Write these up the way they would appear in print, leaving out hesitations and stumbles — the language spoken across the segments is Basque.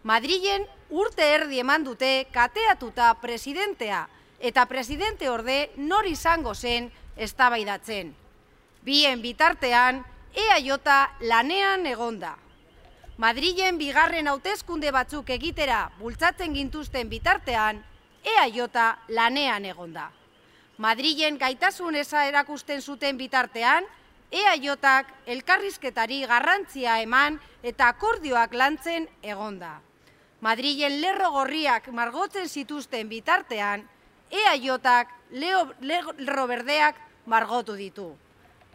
Madrilen urte erdi eman dute kateatuta presidentea eta presidente orde nor izango zen eztabaidatzen. Bien bitartean, EAJ lanean egonda. Madrilen bigarren hauteskunde batzuk egitera bultzatzen gintuzten bitartean, EAJ lanean egonda. Madrilen gaitasun eza erakusten zuten bitartean, EAJak elkarrizketari garrantzia eman eta akordioak lantzen egonda. Madrilen lerro gorriak margotzen zituzten bitartean, EAJak lerro berdeak margotu ditu.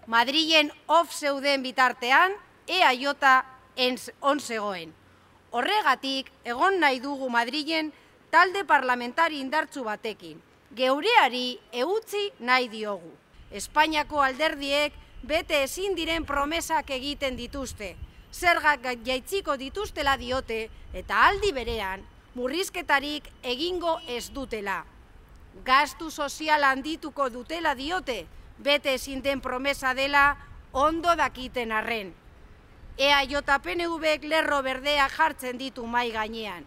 Madrilen off zeuden bitartean, EAJ on zegoen. Horregatik, egon nahi dugu Madrilen talde parlamentari indartsu batekin. Geureari eutzi nahi diogu. Espainiako alderdiek bete ezin diren promesak egiten dituzte. Zergak jaitziko dituztela diote eta aldi berean murrizketarik egingo ez dutela. Gastu sozial handituko dutela diote, bete ezin den promesa dela ondo dakiten arren. EAJ PNVek lerro berdeak jartzen ditu mai gainean.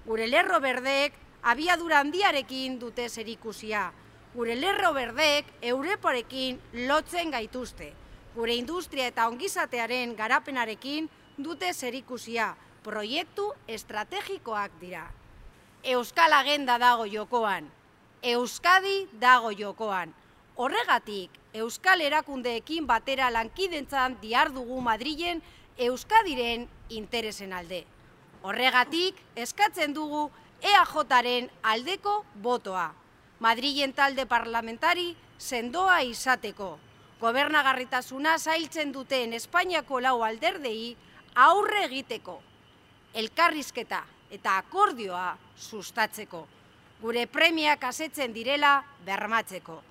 Gure lerro berdeek abiadura handiarekin dute zerikusia. Gure lerro berdeek Europarekin lotzen gaituzte. Gure industria eta ongizatearen garapenarekin dute zerikusia. Proiektu estrategikoak dira. Euskal agenda dago jokoan. Euskadi dago jokoan. Horregatik, Euskal erakundeekin batera lankidentzan dihardugu Madrilen Euskadiren interesen alde. Horregatik, eskatzen dugu EAJaren aldeko botoa. Madrilen talde parlamentari sendoa izateko. Gobernagarritasuna zailtzen duten Espainiako lau alderdei aurre egiteko. Elkarrizketa eta akordioa sustatzeko. Gure premiak asetzen direla bermatzeko.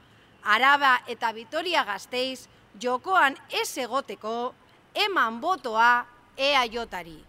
Araba eta Vitoria-Gasteiz jokoan ez egoteko eman botoa EAJari.